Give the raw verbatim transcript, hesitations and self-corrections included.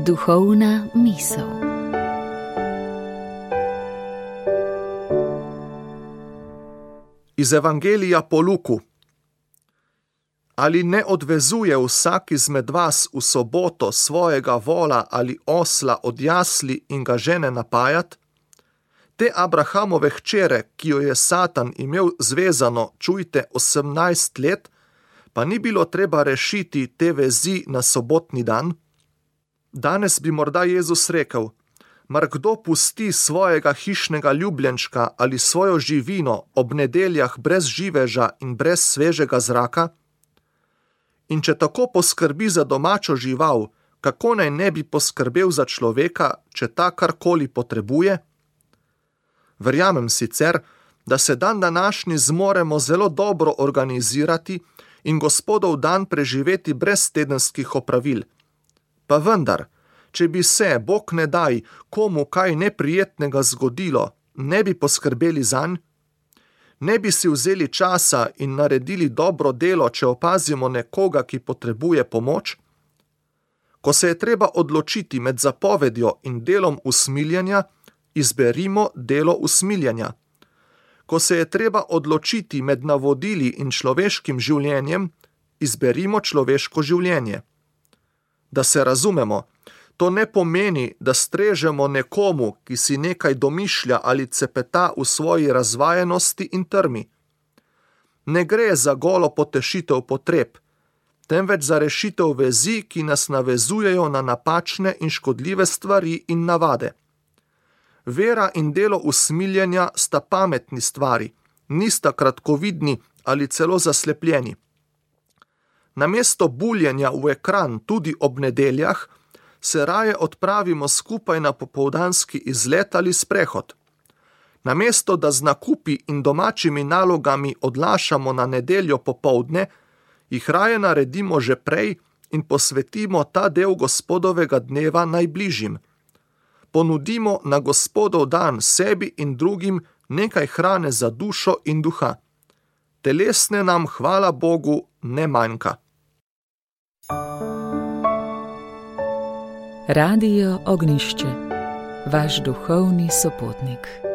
Duhovna misel. Iz Evangelija po Luku. Ali ne odvezuje vsak izmed vas v soboto svojega vola ali osla od jasli in ga žene napajat? Te Abrahamove hčere, ki jo je Satan imel zvezano, čujte, osemnajst let, pa ni bilo treba rešiti te vezi na sobotni dan? Danes bi morda Jezus rekel: mar kdo pusti svojega hišnega ljubljenčka ali svojo živino ob nedeljah brez živeža in brez svežega zraka? In če tako poskrbi za domačo žival, kako naj ne bi poskrbel za človeka, če ta karkoli potrebuje? Verjamem sicer, da se dan današnji zmoremo zelo dobro organizirati in Gospodov dan preživeti brez tedenskih opravil. Pa vendar, če bi se, Bog ne daj, komu kaj neprijetnega zgodilo, ne bi poskrbeli zanj? Ne bi si vzeli časa in naredili dobro delo, če opazimo nekoga, ki potrebuje pomoč? Ko se je treba odločiti med zapovedjo in delom usmiljenja, izberimo delo usmiljenja. Ko se je treba odločiti med navodili in človeškim življenjem, izberimo človeško življenje. Da se razumemo, to ne pomeni, da strežemo nekomu, ki si nekaj domišlja ali cepeta v svoji razvajenosti in trmi. Ne gre za golo potešitev potreb, temveč za rešitev vezi, ki nas navezujejo na napačne in škodljive stvari in navade. Vera in delo usmiljenja sta pametni stvari, nista kratkovidni ali celo zaslepljeni. Namesto buljenja v ekran tudi ob nedeljah, se raje odpravimo skupaj na popoldanski izlet ali sprehod. Namesto da z nakupi in domačimi nalogami odlašamo na nedeljo popoldne, jih raje naredimo že prej in posvetimo ta del Gospodovega dneva najbližjim. Ponudimo na Gospodov dan sebi in drugim nekaj hrane za dušo in duha. Telesne nam, hvala Bogu, ne manjka. Radio Ognjišče, vaš duhovni sopotnik.